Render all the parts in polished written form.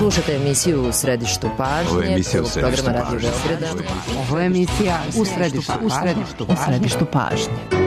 Slušajte emisiju U središtu pažnje. Ovo je emisija U središtu pažnje. Ovo je emisija U središtu pažnje.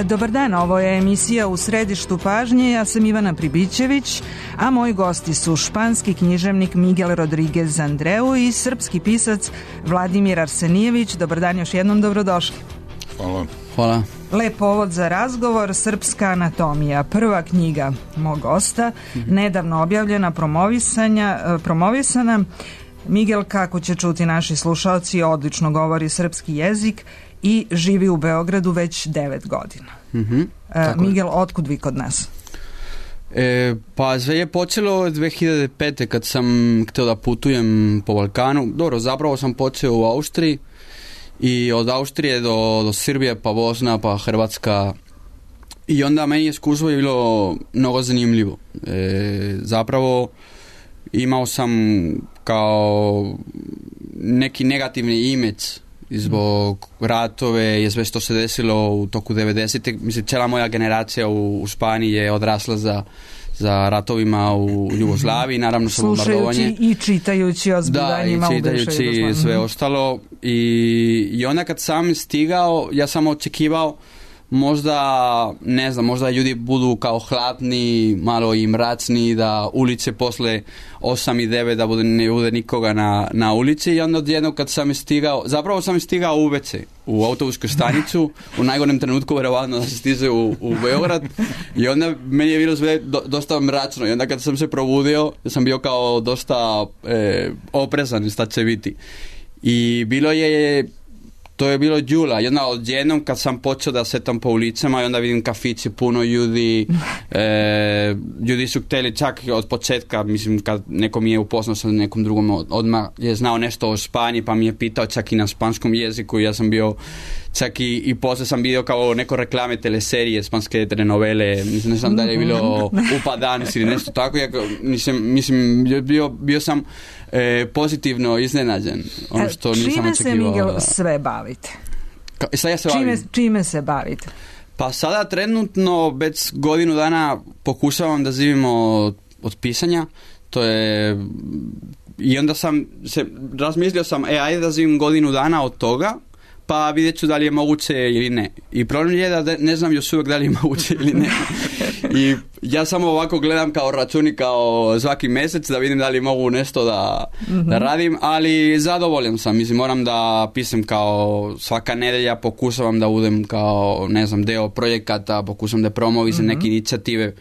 Dobar dan, ovo je emisija U središtu pažnje, ja sam Ivana Pribićević, a moji gosti su španski književnik Miguel Rodriguez Andreu i srpski pisac Vladimir Arsenijević. Dobar dan, još jednom dobrodošli. Hvala. Lep povod za razgovor, Srpska anatomija, prva knjiga mog gosta, nedavno objavljena, promovisana. Miguel, kako će čuti naši slušalci, odlično govori srpski jezik i živi u Beogradu već 9 godina. Miguel, otkud vi kod nas? Pa sve je počelo 2005. kad sam htio da putujem po Balkanu. Dobro, zapravo sam počeo u Austriji i od Austrije do Srbije, pa Bosna, pa Hrvatska. I onda meni iskustvo je bilo mnogo zanimljivo. Zapravo imao sam kao neki negativni imidž zbog ratove i sve što se desilo u toku 90-ih. Mislim, cijela moja generacija u Španiji je odrasla za ratovima u Jugoslaviji, naravno sa bombardovanje. Slušajući i čitajući o zbivanjima u bivšoj Jugoslaviji. I sve ostalo. I onda kad sam stigao, ja sam očekivao možda ljudi budu kao hladni, malo i mračni, da ulice posle 8 i 9 da ne bude nikoga na ulici. I onda odjedno kad sam stigao, zapravo sam stigao u WC, u autobusku stanicu, u najgorem trenutku verovatno da se stiže u Beograd. I onda meni je bilo sve dosta mračno. I onda kad sam se probudio, sam bio kao dosta oprezan šta će biti. I to je bilo jula, odjednom kad sam počeo da setam po ulicama i onda vidim kafiće, puno ljudi, ljudi su htjeli čak od početka, mislim kad neko mi je upoznao sa nekom drugom, odmah je znao nešto o Španiji pa mi je pitao čak i na španskom jeziku. Ja sam bio, čak i poslije sam vidio kao neko reklame teleserije, španske telenovele, ne znam da je bilo Upadanes ili nešto tako, mislim bio sam pozitivno iznenađen. Ono što nisam očekivao. Čime se, Miguel, sve bavite? Čime se bavite? Pa sada trenutno već godinu dana pokušavam da živimo od pisanja. To je... I onda razmislio sam, ajde da živim godinu dana od toga, pa vidjet ću da li je moguće ili ne. I problem je da ne znam još uvijek da li je moguće ili ne. I ja samo ovako gledam kao računi, kao svaki mjesec da vidim da li mogu nešto da radim, ali zadovoljan sam. Mislim, moram da pisam kao svaka nedelja, pokušavam da budem kao, ne znam, deo projekata, pokušam da promovišem neke inicijative.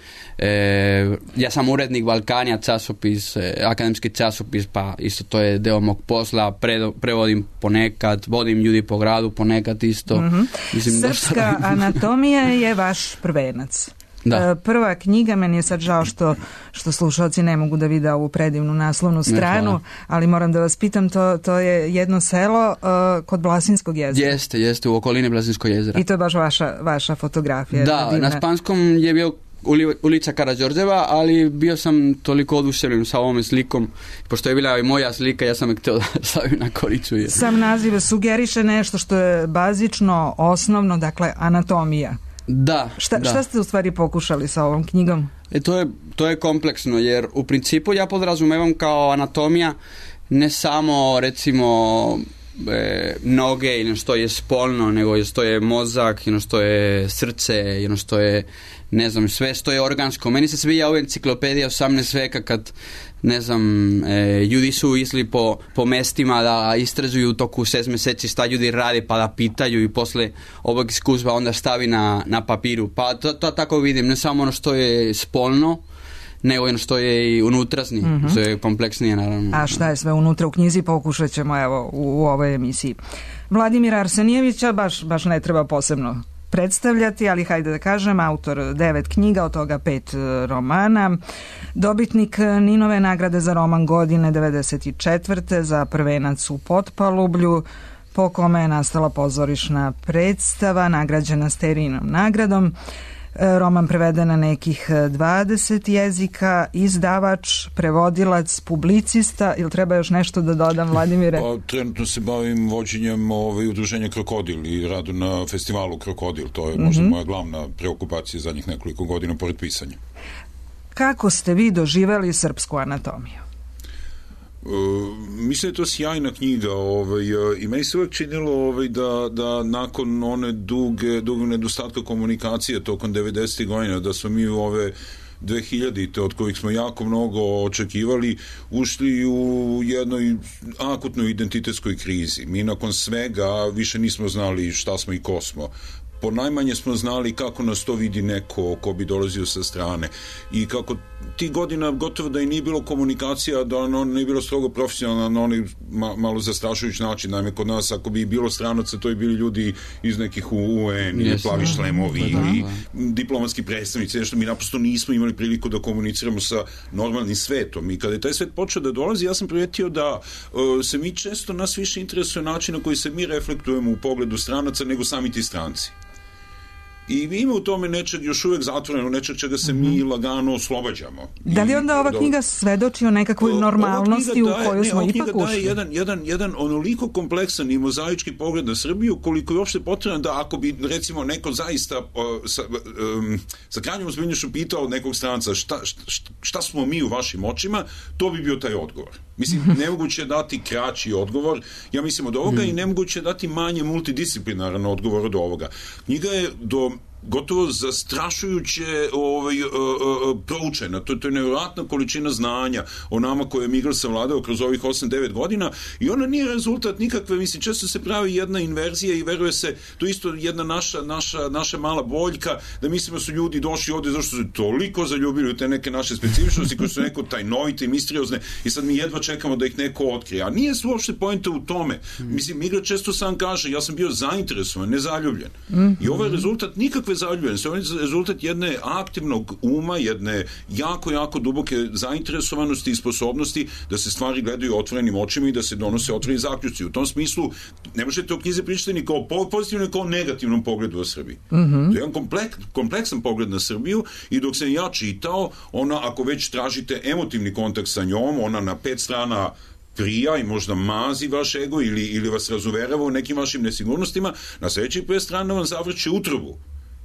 Ja sam urednik Balkanja, časopis, akademski časopis, pa isto to je deo mog posla, prevodim ponekad, vodim ljudi po gradu ponekad isto. Mislim, Srpska anatomija je vaš prvenac. Da. Prva knjiga, meni je sad žao što slušalci ne mogu da vide ovu predivnu naslovnu stranu, ali moram da vas pitam, to je jedno selo kod Blasinskog jezera. Jeste, u okolini Blasinskog jezera. I to je baš vaša fotografija. Da, na španskom je bio ulica Karađorđeva, ali bio sam toliko oduševljen sa ovom slikom, pošto je bila i moja slika, ja sam je htio da stavim na kolicu. Sam naziv sugeriše nešto što je bazično, osnovno, dakle anatomija. Da. Šta ste u stvari pokušali sa ovom knjigom? To je kompleksno, jer u principu ja podrazumevam kao anatomija ne samo recimo noge ili što je spolno, nego što je mozak, ili što je srce, ili što je, ne znam, sve što je organsko. Meni se svija ova enciklopedija 18. veka kad, ne znam, ljudi su išli po mestima da istražuju u toku 6 mjeseci šta ljudi radi, pa da pitaju i posle ovog iskustva onda stavi na papiru. Pa to tako vidim, ne samo ono što je spolno, nego ono što je i unutrašnji, što je kompleksnije naravno. A šta je sve unutra u knjizi, pokušat ćemo evo u ovoj emisiji. Vladimira Arsenijevića baš ne treba posebno predstavljati, ali hajde da kažem, autor 9 knjiga, od toga 5 romana, dobitnik Ninove nagrade za roman godine 94. za Prvenac u Potpalublju, po kome je nastala pozorišna predstava, nagrađena Sterinom nagradom. Roman preveden na nekih 20 jezika, izdavač, prevodilac, publicista. Ili treba još nešto da dodam, Vladimire? Pa, trenutno se bavim vođenjem udruženja Krokodil i radu na festivalu Krokodil. To je možda moja glavna preokupacija zadnjih nekoliko godina pored pisanja. Kako ste vi doživeli srpsku anatomiju? Mislim da je to sjajna knjiga i meni se uvijek činilo da nakon one dugog nedostatka komunikacije tokom 90. godina, da smo mi u ove 2000-te, od kojih smo jako mnogo očekivali, ušli u jednoj akutnoj identitetskoj krizi. Mi nakon svega više nismo znali šta smo i ko smo. Ponajmanje smo znali kako nas to vidi neko ko bi dolazio sa strane i kako ti godina gotovo da i nije bilo komunikacija, da ono nije bilo strogo profesionalno na onaj malo zastrašujući način. Naime, kod nas ako bi bilo stranaca, to bi bili ljudi iz nekih UN ili plavi šlemovi ili diplomatski predstavnici, nešto mi naprosto nismo imali priliku da komuniciramo sa normalnim svetom. I kada je taj svet počeo da dolazi, ja sam primetio da se mi često, nas više interesuje način na koji se mi reflektujemo u pogledu stranaca nego sami ti stranci. I ima u tome nečeg još uvijek zatvoreno, nečeg čega se mi lagano oslobađamo. Da li onda ova knjiga svedoči o nekakvoj normalnosti u kojoj smo ipak ušli? Jedan onoliko kompleksan i mozaički pogled na Srbiju, koliko je uopšte potrebno da ako bi recimo neko zaista sa krajnjom ozbiljnošću pitao nekog stranca šta smo mi u vašim očima, to bi bio taj odgovor. Mislim, nemoguće je dati kraći odgovor, ja mislim, od ovoga i nemoguće je dati manje multidisciplinaran odgovor od ovoga. Knjiga je gotovo zastrašujuće proučena. To je nevjerojatna količina znanja o nama koje je Migral savladao kroz ovih 8-9 godina i ona nije rezultat nikakve, mislim, često se pravi jedna inverzija i veruje se, to isto jedna naša mala boljka, da mislimo da su ljudi došli ovdje zašto su toliko zaljubili u te neke naše specifičnosti koje su neko tajnovite i misteriozne i sad mi jedva čekamo da ih neko otkrije. A nije uopšte poenta u tome. Mislim, Migral često sam kaže, ja sam bio zainteresovan, ne zaljubljen. I ovo je rezultat nikakve zaljubljenosti. Ovo je rezultat jedne aktivnog uma, jedne jako duboke zainteresovanosti i sposobnosti da se stvari gledaju otvorenim očima i da se donose otvoreni zaključci. U tom smislu ne možete o knjizi pričati ni kao pozitivnom ni kao negativnom pogledu o Srbiji. To je jedan kompleksan pogled na Srbiju i dok sam ja čitao, ona, ako već tražite emotivni kontakt sa njom, ona na 5 strana prija i možda mazi vaš ego ili vas razuverava u nekim vašim nesigurnostima, na sljedećih 5 strana vam zavrće utrobu.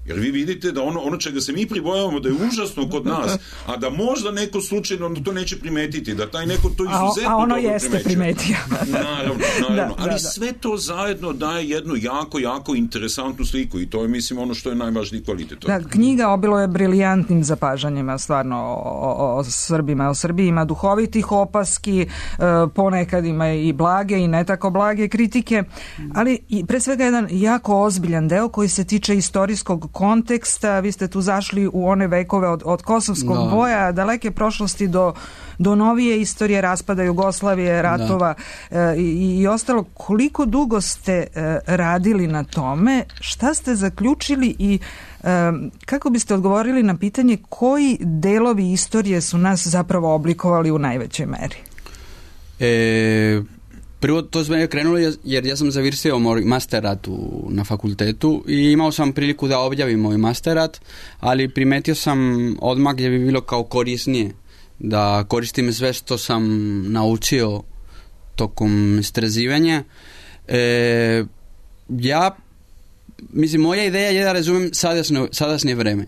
Jer vi vidite da ono čega se mi pribojavamo da je užasno kod nas, a da možda neko slučajno to neće primetiti, da taj neko to izuzetno a ono dobro jeste primetio. Naravno. Ali sve to zajedno daje jednu jako interesantnu sliku i to je, mislim, ono što je najvažniji kvalitet. Da, knjiga obilo je briljantnim zapažanjima stvarno o Srbima. O Srbiji ima duhovitih opaski, ponekad ima i blage i ne tako blage kritike, ali i pre svega jedan jako ozbiljan deo koji se tiče istorijskog konteksta. Vi ste tu zašli u one vekove od kosovskog boja, daleke prošlosti do novije istorije raspada Jugoslavije, ratova i ostalo. Koliko dugo ste radili na tome? Šta ste zaključili i kako biste odgovorili na pitanje koji delovi istorije su nas zapravo oblikovali u najvećoj meri? Prvo to sve je krenulo jer ja sam završio moj masterat na fakultetu i imao sam priliku da objavim moj masterat, ali primetio sam odmah gdje bi bilo kao korisnije da koristim sve što sam naučio tokom istraživanja. Mislim, moja ideja je da razumem sadašnje vreme.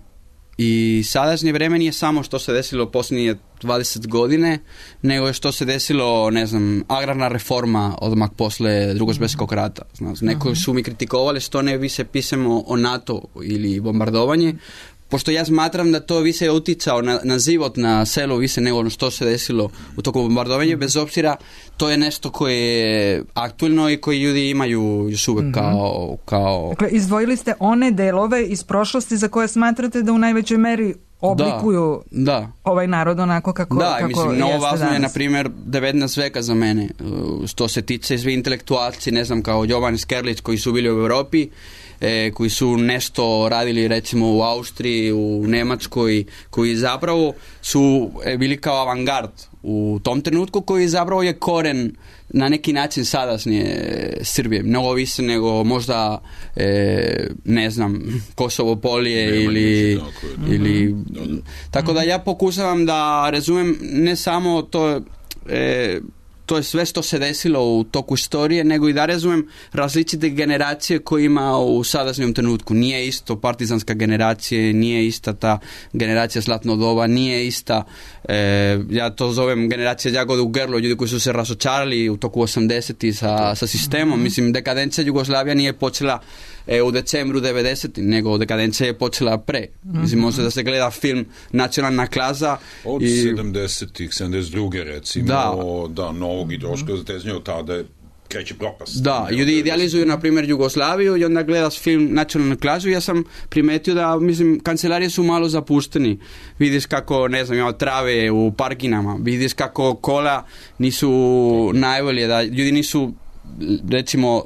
I sadašnje vreme nije samo što se desilo posljednje 20 godine, nego je što se desilo, ne znam, agrarna reforma odmah posle Drugog svjetskog rata. Neko su mi kritikovali što ne više pisamo o NATO ili bombardovanje, pošto ja smatram da to više je uticao na život na selu više nego ono što se desilo u toku bombardovanja, bez obzira to je nešto koje je aktualno i koji ljudi imaju još uvek kao... Dakle, izdvojili ste one delove iz prošlosti za koje smatrate da u najvećoj meri oblikuju ovaj narod onako kako mislim, mnogo važno je, na primjer, 19. veka za mene, što se tiče svi intelektualci, ne znam, kao Jovan Skerlić koji su bili u Europi, koji su nešto radili recimo u Austriji, u Nemačkoj, koji zapravo su bili kao avangard u tom trenutku, koji zapravo je koren na neki način sadašnje Srbije, mnogo više nego možda ne znam, Kosovo polje ili tako da ja pokušavam da razumem ne samo to je sve što se desilo u toku istorije, nego i da razumem različite generacije koje ima u sadašnjem trenutku. Nije isto partizanska generacija, nije ista ta generacija zlatnog doba, nije ista, ja to zovem generacija Jagoda u grlu, ljudi koji su se razočarali u toku 80-ih sa sistemom. Mislim, dekadencija Jugoslavija nije počela u decembru 90. nego dekadencija je počela pre. Mislim, može da se gleda film Nacionalna klaza. Od 70-ih, 72. recimo, novog ideološkog zateznja, od tada kreće propast. Da, ljudi idealizuju, na primjer, Jugoslaviju i onda gledaš film Nacionalnu klazu. Ja sam primetio da, mislim, kancelarije su malo zapušteni. Vidiš kako, ne znam, ima trave u parkinama. Vidiš kako kola nisu najbolje, da ljudi nisu, recimo,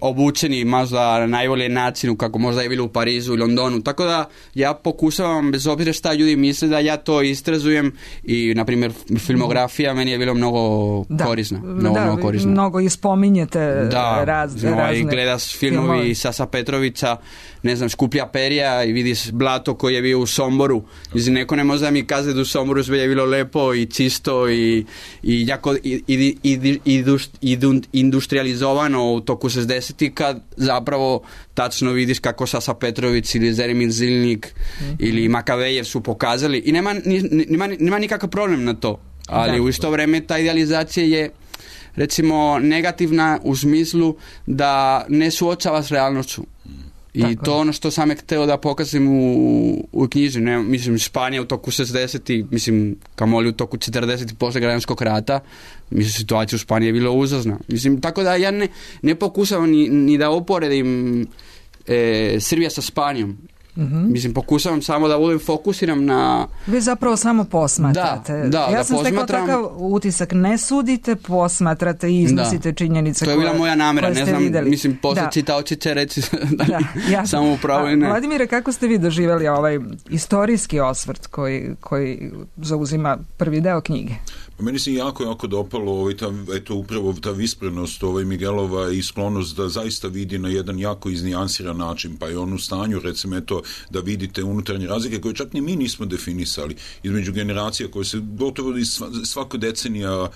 obučeni možda na najbolji način kako možda je bilo u Parizu i Londonu, tako da ja pokušavam, bez obzira šta ljudi misle, da ja to istrazujem i na primjer filmografija meni je bilo mnogo korisna, mnogo korisna. Mnogo i spominjete razne i gledaš filmovi Sasa Petrovića, ne znam, Škuplja perja i vidiš blato koji je bio u Somboru. Mislim, neko ne može da mi kaže da u Somboru sve je bilo lepo i čisto i jako industrializovano u toku 60-ih, kad zapravo tačno vidiš kako Sasa Petrović ili Zelimir Zilnik ili Makavejev su pokazali i nema nikakav problem na to, ali u isto vreme ta idealizacija je, recimo, negativna u smislu da ne suočava s realnošću. I to ono što sam je hteo da pokazim u knjiži. Mislim, Španija u toku 60-ih, mislim, kamoli u toku 40-ih posle građanskog rata, mislim, situacija u Španiji je bila užasna. Mislim, tako da ja ne pokušavam ni da uporedim Srbija sa Španijom. Mislim, pokušavam samo da budem fokusiram na... Vi zapravo samo posmatrate. Ja sam stekla takav utisak, ne sudite, posmatrate i iznosite činjenice koje ste videli. To je bila moja namera, ne znam, mislim, posle čitaoci će reći samo upravo i ne. Vladimire, kako ste vi doživjeli ovaj istorijski osvrt koji zauzima prvi deo knjige? Meni se jako dopalo upravo ta visprenost Miguelova i sklonost da zaista vidi na jedan jako iznijansiran način, pa je on u stanju, recimo, da vidite unutarnje razlike koje čak ni mi nismo definisali između generacija koje se gotovo svaka decenija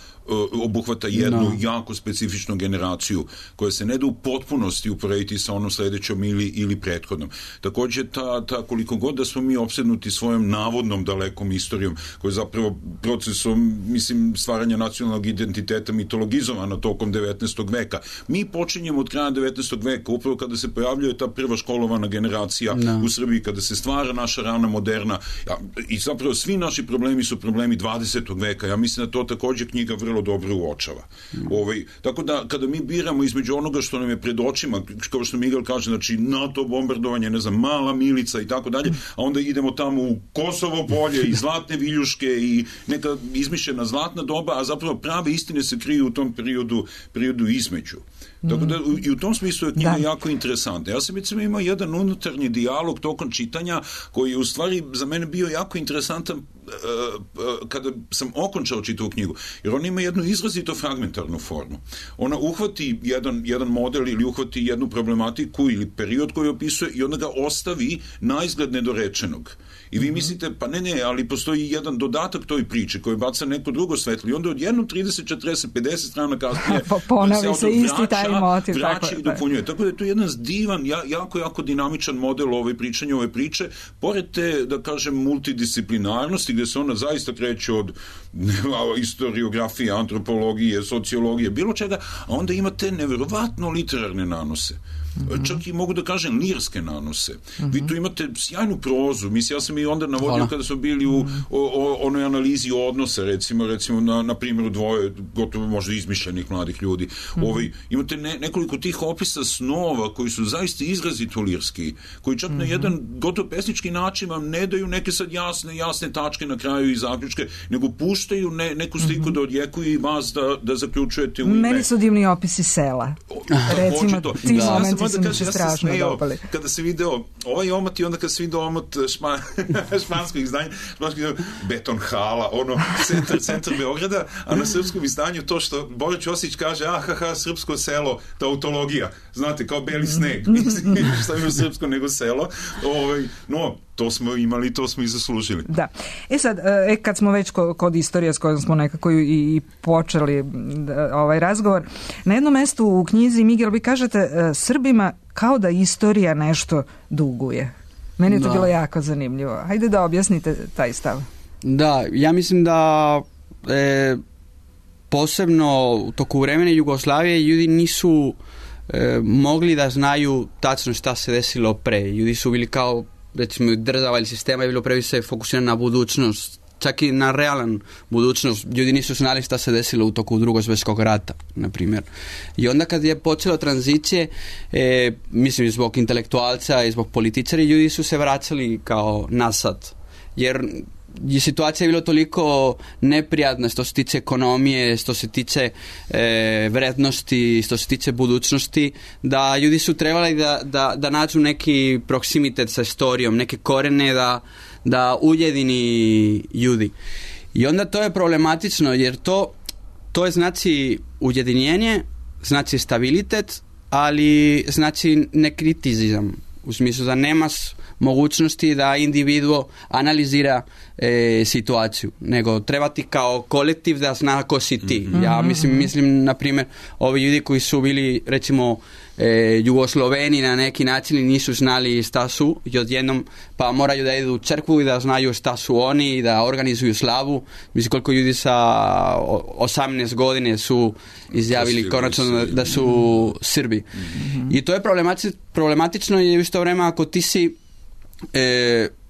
obuhvata jednu jako specifičnu generaciju koja se ne da u potpunosti uporediti sa onom sledećom ili prethodnom. Također ta koliko god da smo mi opsednuti svojom navodnom dalekom istorijom koja je zapravo procesom, mislim, stvaranja nacionalnog identiteta mitologizovana tokom 19. veka. Mi počinjemo od kraja 19. veka, upravo kada se pojavljuje ta prva školovana generacija u Srbiji, kada se stvara naša rana moderna i zapravo svi naši problemi su problemi 20. veka. Ja mislim da to također knjiga vrlo dobro uočava. Tako da kada mi biramo između onoga što nam je pred očima, kao što Miguel kaže, znači NATO bombardovanje, ne znam, Mala Milica i tako dalje, a onda idemo tamo u Kosovo polje i zlatne viljuške i neka izmišljena zlatna doba, a zapravo prave istine se kriju u tom periodu između. Tako da i u tom smislu je knjiga jako interesantna. Ja sam imao jedan unutarnji dijalog tokom čitanja koji je u stvari za mene bio jako interesantan kada sam okončao čitavu knjigu, jer ona ima jednu izrazito fragmentarnu formu. Ona uhvati jedan model ili uhvati jednu problematiku ili period koji opisuje i onda ga ostavi na izgled nedorečenog. I vi mislite, pa ne, ali postoji jedan dodatak toj priči koji baca neko drugo svetlo i onda odjednom 30, 40, 50 strana kasnije ponovi se isti taj motiv. Vraća i dopunjuje. Tako da je to jedan divan, jako dinamičan model pričanja ove priče, pored te, da kažem, multidisciplinarnosti, gde se ona zaista kreće od historiografije, antropologije, sociologije, bilo čega, a onda imate neverovatno literarne nanose. Čak i mogu da kažem lirske nanose. Vi tu imate sjajnu prozu. Mislim, ja sam i onda navodio kada smo bili u onoj analizi odnosa, recimo na primjeru dvoje gotovo možda izmišljenih mladih ljudi. Imate nekoliko tih opisa snova koji su zaista izrazito lirski, koji čak na jedan gotovo pesnički način vam ne daju neke sad jasne tačke na kraju i zaključke, nego puštaju neku sliku da odjekuje i vas da zaključujete u ime. Meni su divni opisi sela. Recimo, ti momenti su mi se strašno dopali. Kada se video ovaj omot i onda kada se video omot španskog izdanja, beton hala, centar Beograda, a na srpskom izdanju to što Bora Ćosić kaže, srpsko selo, tautologija, znate, kao beli sneg, mislim, što je u srpsko nego selo, no, to smo imali, to smo i zaslužili. Da. Sad, kad smo već kod istorije s kojom smo nekako i počeli ovaj razgovor, na jednom mestu u knjizi, Miguel, vi kažete Srbima kao da istorija nešto duguje. Meni je to bilo jako zanimljivo. Hajde da objasnite taj stav. Da, ja mislim da posebno u toku vremena Jugoslavije ljudi nisu mogli da znaju tačno šta se desilo pre. Ljudi su bili kao, recimo, država ili sistema je bilo previše fokusirano na budućnost, čak i na realan budućnost. Ljudi nisu znali šta se desilo u toku Drugog svjetskog rata, na primjer. I onda kad je počelo tranzicije, mislim, zbog intelektualca i zbog političara, ljudi su se vraćali kao nasad. Jer je situacija bila toliko neprijatna što se tiče ekonomije, što se tiče vrednosti, što se tiče budućnosti, da ljudi su trebali da nađu neki proksimitet sa istorijom, neke korene da ujedini ljudi. I onda to je problematično, jer to je znači ujedinjenje, znači stabilitet, ali znači nekritizam. U smislu da nemaš mogućnosti da individuo analizira situaciju, nego treba ti kao kolektiv da zna ko si ti. Ja mislim, na primjer, ovi ljudi koji su bili, recimo, Jugosloveni na neki način i nisu znali šta su i odjednom pa moraju da idu u crkvu i da znaju šta su oni i da organizuju slavu. Mislim, koliko ljudi sa 18 godine su izjavili konačno da su Srbi. I to je problematično jer u isto vreme ako ti si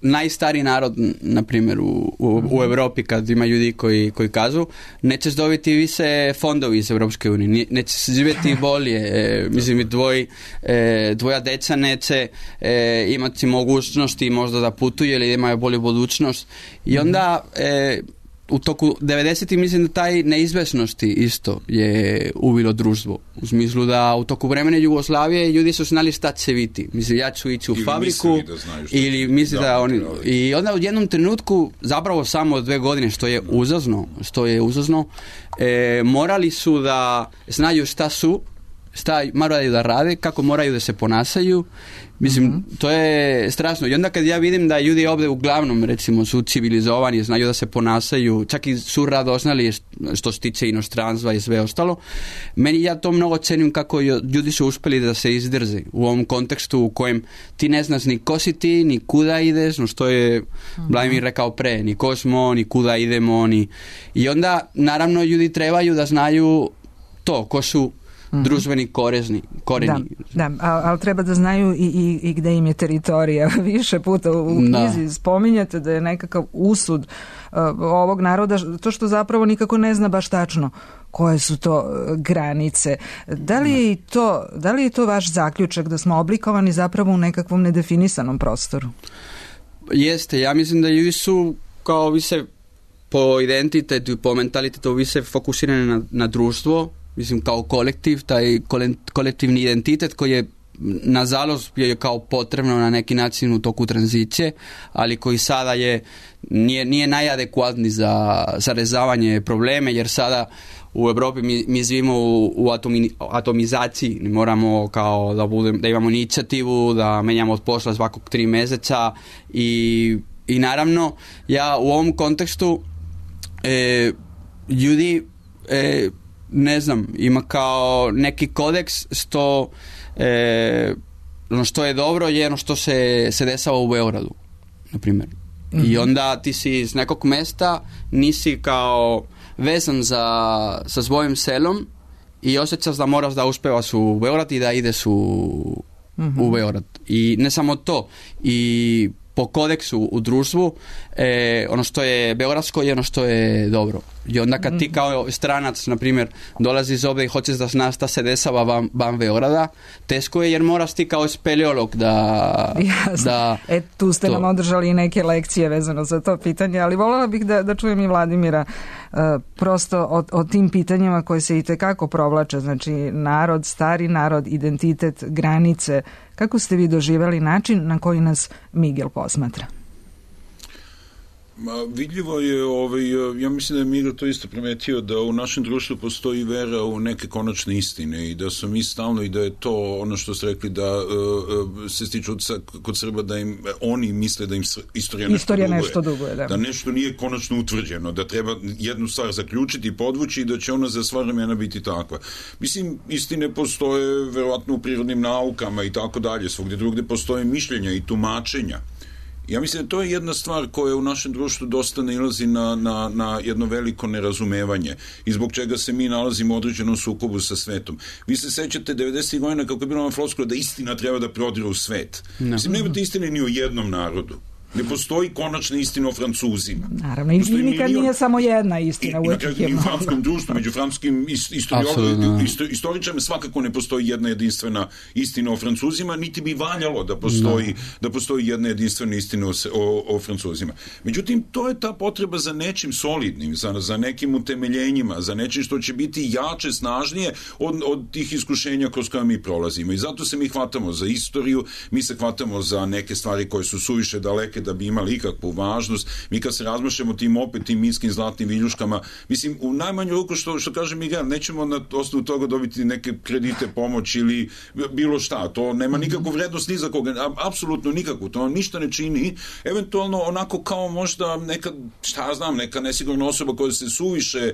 najstariji narod, na primjer, u Evropi, kad ima ljudi koji kažu nećeš dobiti više fondovi iz Evropske unije, nećeš živjeti bolje, mislim, tvoja deca neće imati mogućnosti možda da putuju ili imaju bolju budućnost. I onda u toku 90-ih mislim da taj neizvesnosti isto je uvilo društvo. U smislu da u toku vremena Jugoslavije ljudi su znali šta će biti. Mislim, ja ću ići u fabriku ili misli da oni... I onda u jednom trenutku, zapravo samo 2 godine, što je uzazno, morali su da znaju šta su, šta moraju da rade, kako moraju da se ponašaju. Mislim, to je strašno. I onda kad ja vidim da ljudi ovdje uglavnom, recimo, su civilizovani, znaju da se ponašaju, čak i su radoznali što se tiče inostranstva i sve ostalo, ja to mnogo cenim kako ljudi su uspjeli da se izdrže u ovom kontekstu u kojem ti ne znaš ni ko si ti, ni kuda ideš, no što je Vladimir rekao pre, ni ko smo, ni kuda idemo, I onda, naravno, ljudi trebaju da znaju to, ko su društveni koreni. Da, ali treba da znaju i gde im je teritorija. Više puta u knjizi spominjate da je nekakav usud ovog naroda, to što zapravo nikako ne zna baš tačno koje su to granice. Da li je to vaš zaključak da smo oblikovani zapravo u nekakvom nedefinisanom prostoru? Jeste, ja mislim da ljudi su kao više po identitetu i po mentalitetu više fokusirani na društvo, mislim, kao kolektiv, taj kolektivni identitet koji je nažalost je kao potrebno na neki način u toku tranzicije, ali koji sada nije najadekvatniji za rješavanje probleme, jer sada u Europi mi živimo u atomizaciji, moramo kao da imamo inicijativu, da menjamo od posla svakog 3 mjeseca i naravno ja u ovom kontekstu ljudi ne znam, ima kao neki kodeks što je dobro je ono što se dešava u Beogradu, na primjer. I onda ti si iz nekog mjesta nisi kao vezan sa svojim selom i osjećaš da moraš da uspevaš u Beograd i da ideš u Beograd. I ne samo to, i po kodeksu u društvu ono što je beogradsko je ono što je dobro. I onda kad ti kao stranac, na primjer, dolaziš ovdje i hoćeš da znaš šta se dešava van Beograda, teško je jer moraš ti kao speleolog da tu ste nam održali i neke lekcije vezano za to pitanje, ali voljela bih da čujem i Vladimira prosto o tim pitanjima koje se itekako provlače, znači narod, stari narod, identitet, granice. Kako ste vi doživjeli način na koji nas Miguel posmatra? Vidljivo je, ja mislim da je Miguel to isto primetio, da u našem društvu postoji vera u neke konačne istine i da su mi stalno, i da je to ono što ste rekli, da se stiču kod Srba da im oni misle da im istorija nešto duguje. Da nešto nije konačno utvrđeno, da treba jednu stvar zaključiti i podvući i da će ona za sva vremena biti takva. Mislim, istine postoje verovatno u prirodnim naukama i tako dalje, svugdje drugdje postoje mišljenja i tumačenja. Ja mislim da to je jedna stvar koja u našem društvu dosta nailazi na jedno veliko nerazumevanje i zbog čega se mi nalazimo u određenom sukobu sa svetom. Vi se sećate 90. godina kako je bilo na floskula da istina treba da prodire u svet. Mislim, nemate istine ni o jednom narodu. Ne postoji konačna istina o Francuzima. Naravno, i nikad nije samo jedna istina. I u francuskom društvu, među francuskim istoričarima svakako ne postoji jedna jedinstvena istina o Francuzima, niti bi valjalo da postoji jedna jedinstvena istina o Francuzima. Međutim, to je ta potreba za nečim solidnim, za nekim utemeljenjima, za nečim što će biti jače, snažnije od tih iskušenja kroz koja mi prolazimo. I zato se mi hvatamo za istoriju, mi se hvatamo za neke stvari koje su suviše daleke da bi imali ikakvu važnost. Mi kad se razmašemo tim minskim zlatnim viljuškama, mislim, u najmanju ruku što kaže Miguel, nećemo na osnovu toga dobiti neke kredite, pomoć ili bilo šta. To nema nikakvu vrednost ni za koga, apsolutno nikakvu. To ništa ne čini. Eventualno onako kao možda neka nesigurna osoba koja se suviše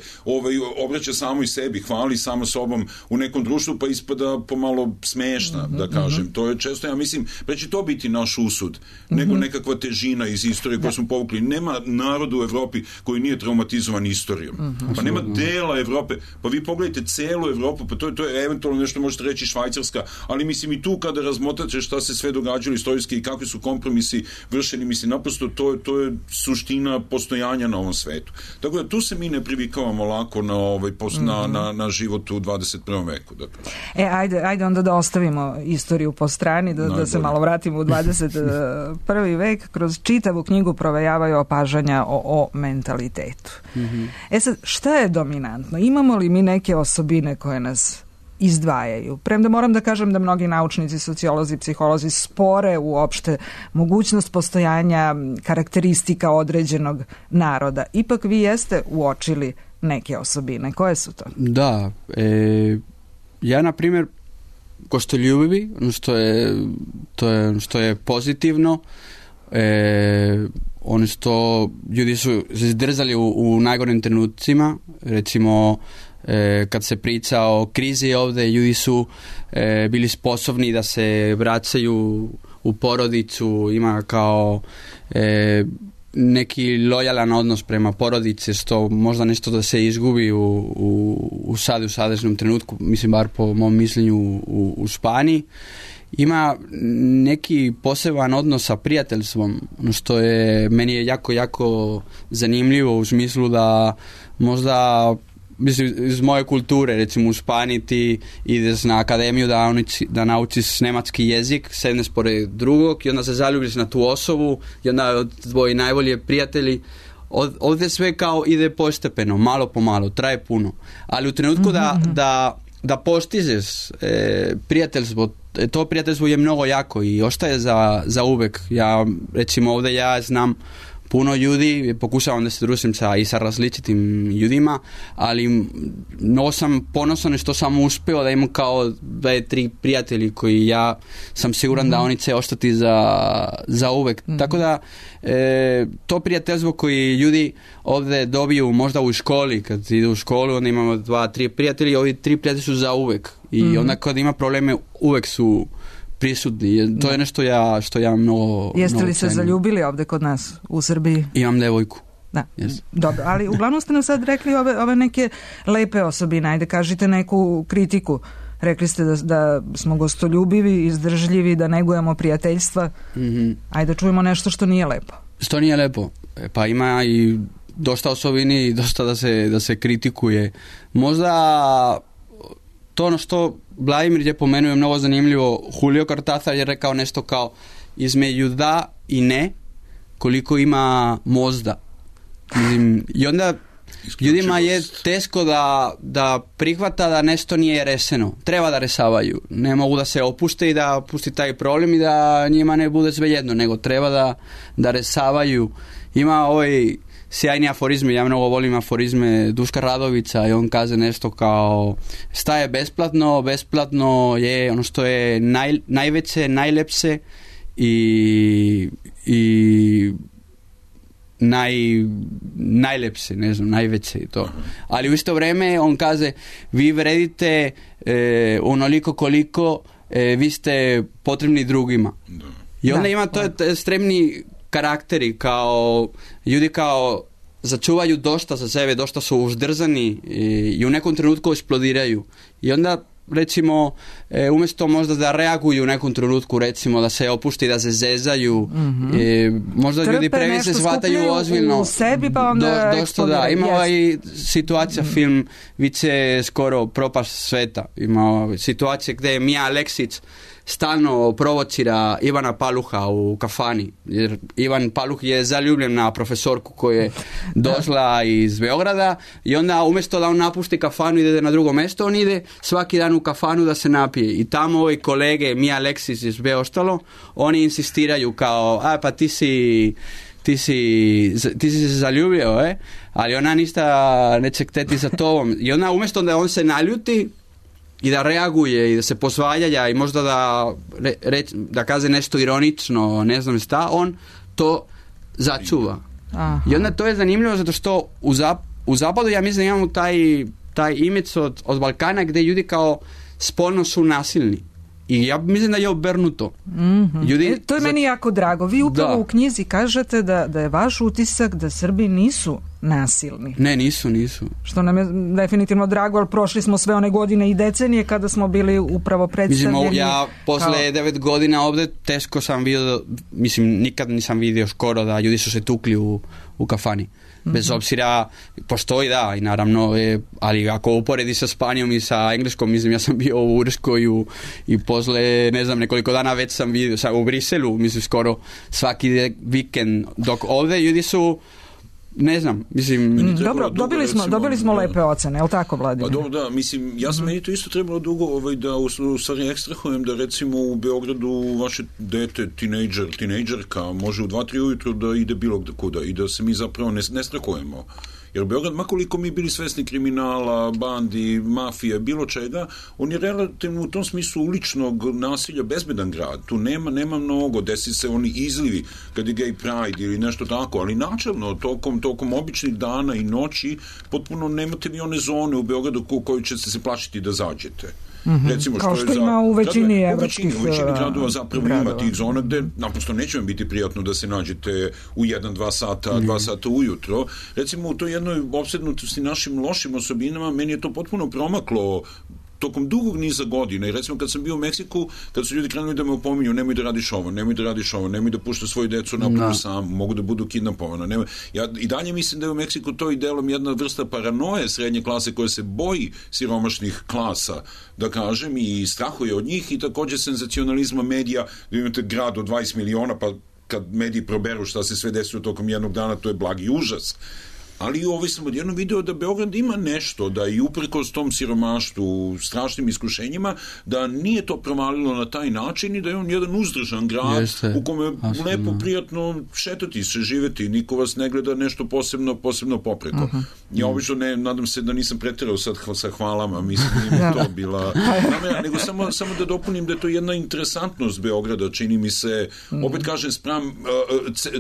obraća samo i sebi, hvali samo sobom u nekom društvu, pa ispada pomalo smešna, da kažem. To je često, ja mislim, preći to biti naš usud, nego nekakva težina iz istorije koju smo povukli. Nema naroda u Evropi koji nije traumatizovan istorijom. Pa nema dela Evrope. Pa vi pogledajte celu Evropu, pa to je eventualno nešto možete reći Švajcarska, ali mislim i tu kada razmotrate šta se sve događalo istorijski i kakvi su kompromisi vršeni, mislim, naprosto to je suština postojanja na ovom svetu. Tako da tu se mi ne privikavamo lako na život u 21. veku. Dakle. Ajde onda da ostavimo istoriju po strani, da se malo vratimo u 21. vek. Kroz čitavu knjigu provejavaju opažanja o mentalitetu. Sad, šta je dominantno? Imamo li mi neke osobine koje nas izdvajaju? Premda moram da kažem da mnogi naučnici, sociolozi, psiholozi spore uopšte mogućnost postojanja karakteristika određenog naroda. Ipak vi jeste uočili neke osobine. Koje su to? Da. Ja, na primjer, gostoljubivi, što je pozitivno, oni što ljudi su se izdržali u najgorim trenucima, recimo kad se priča o krizi ovdje, ljudi su bili sposobni da se vraćaju u porodicu, ima kao neki lojalan odnos prema porodici, što možda nešto da se izgubi u sadašnjem trenutku, mislim bar po mom mišljenju u Španiji. Ima neki poseban odnos sa prijateljstvom, što meni je jako zanimljivo u smislu da možda, mislim, iz moje kulture, recimo u Španiji ti ideš na akademiju da naučiš nemački jezik, sedneš pored drugog i onda se zaljubiš na tu osobu i onda tvoji najbolji prijatelji. Ovdje sve kao ide postepeno, malo po malo, traje puno, ali u trenutku da postižeš prijateljstvo to prijateljstvo je mnogo jako i ostaje za uvek. Ja, recimo ovdje ja znam puno ljudi, pokušavam da se družim sa različitim ljudima, ali mnogo sam ponosan što sam uspio da imam kao 2-3 prijatelji koji ja sam siguran da oni će ostati za uvek. Tako da to prijateljstvo koji ljudi ovdje dobiju možda u školi, kad idu u školu, onda imamo 2-3 prijatelji, ovi 3 prijatelji su za uvek. I onda kad ima probleme, uvek su prisutni. To je nešto što ja mnogo... Jeste li se zaljubili ovdje kod nas u Srbiji? Imam devojku. Da. Dobro, ali uglavnom ste nam sad rekli ove neke lepe osobine. Ajde, kažite neku kritiku. Rekli ste da smo gostoljubivi, izdržljivi, da negujemo prijateljstva. Ajde, čujemo nešto što nije lepo. Što nije lepo? Pa ima i dosta osobini i dosta da se kritikuje. Možda to ono što Vladimir je pomenuo je mnogo zanimljivo. Julio Cortázar je rekao nešto kao između da i ne koliko ima možda. I onda ljudima je teško da prihvata da nešto nije rešeno. Treba da rešavaju. Ne mogu da se opušte i da pusti taj problem i da njima ne bude svejedno, nego treba da rešavaju. Ima ovaj sjajni aforizme, ja mnogo volim aforizme Duška Radovića i on kaže nešto kao šta je besplatno? Besplatno je ono što je najveće, najlepše i najlepše, ne znam, najveće i to. Ali u isto vreme on kaže vi vredite onoliko koliko vi ste potrebni drugima. I onda ima to ekstremni karakteri, kao ljudi kao začuvaju dosta za sebe, dosta su uzdržani i u nekom trenutku eksplodiraju. I onda recimo umjesto možda da reaguju u nekom trenutku, recimo da se opušte, da se zezaju, možda trpe, ljudi previše shvataju ozbiljno u sebi pa onda dosta ima ovaj situacija film Vice skoro propast sveta, ima situacije gdje Mija Aleksić stalno provocira Ivana Paluha u kafani, jer Ivan Paluh je zaljubljen na profesorku koja je došla iz Beograda i onda umjesto da on napusti kafanu i ide na drugo mjesto, on ide svaki dan u kafanu da se napije i tamo ovi kolege Mija Aleksić i sve ostalo, oni insistiraju kao, pa ti si se zaljubio, ali ona ništa neće hteti za tobom. I onda umjesto da on se naljuti i da reaguje i da se posvaja i možda da kaže nešto ironično, ne znam šta, on to začuva. Aha. I onda to je zanimljivo zato što u zapadu ja mislim imamo taj imidž od Balkana gdje ljudi kao spolno su nasilni. I ja mislim da je obrnuto. Ljudi, to je meni jako drago. Vi upravo u knjizi kažete da je vaš utisak da Srbi nisu nasilni. Ne, nisu. Što nam je definitivno drago, ali prošli smo sve one godine i decenije kada smo bili upravo predstavljeni. Mislim, ja posle 9 godina ovdje teško sam vidio, mislim, nikad nisam vidio skoro da ljudi su se tukli u kafani. Bez obzira, postoji i naravno, ali ako uporedi sa Španijom i sa Engleskom, mislim, ja sam bio u Irskoj i posle, ne znam, nekoliko dana već sam vidio u Briselu, mislim, skoro svaki vikend, dok ovdje ljudi su, ne znam, mislim... Dobro, dobili smo lepe ocene, je li tako, Vladimir? Pa dobro, da, mislim, ja sam meni to isto trebalo dugo da u stvari ekstrahujem da recimo u Beogradu vaše dete, tinejdžerka može u 2-3 ujutro da ide bilo kuda i da se mi zapravo ne strahujemo. Jer Beograd, makoliko mi bili svesni kriminala, bandi, mafije, bilo čega, on je relativno u tom smislu uličnog nasilja bezbedan grad. Tu nema mnogo, desi se oni izlivi kad je gay pride ili nešto tako, ali načelno tokom običnih dana i noći potpuno nemate vi one zone u Beogradu u kojoj ćete se plašiti da zađete. Recimo, kao što ima u većini evropskih gradova zapravo ima tih zona gde naprosto neće vam biti prijatno da se nađete u 1-2 sata ujutro. Recimo u toj jednoj opsednutosti našim lošim osobinama meni je to potpuno promaklo tokom dugog niza godina. I recimo kad sam bio u Meksiku, kad su ljudi krenuli da me opominju, nemoj da radiš ovo, nemoj da pušta svoju decu napolju sam, mogu da budu kidnapovana. Ja i dalje mislim da je u Meksiku to i delom jedna vrsta paranoje srednje klase koja se boji siromašnih klasa, da kažem, i strahuje od njih, i također senzacionalizma medija, da imate grad od 20 miliona, pa kad mediji proberu šta se sve desilo tokom jednog dana, to je blagi užas. ali sam odjednom video da Beograd ima nešto, da i uprkos tom siromaštvu, strašnim iskušenjima, da nije to provalilo na taj način i da je on jedan uzdržan grad u kome je lepo, prijatno šetati se, živeti, niko vas ne gleda nešto posebno popreko. Ja obično nadam se da nisam preterao sad sa hvalama, mislim da nije to bila namera, nego samo da dopunim da je to jedna interesantnost Beograda, čini mi se, opet kažem, spram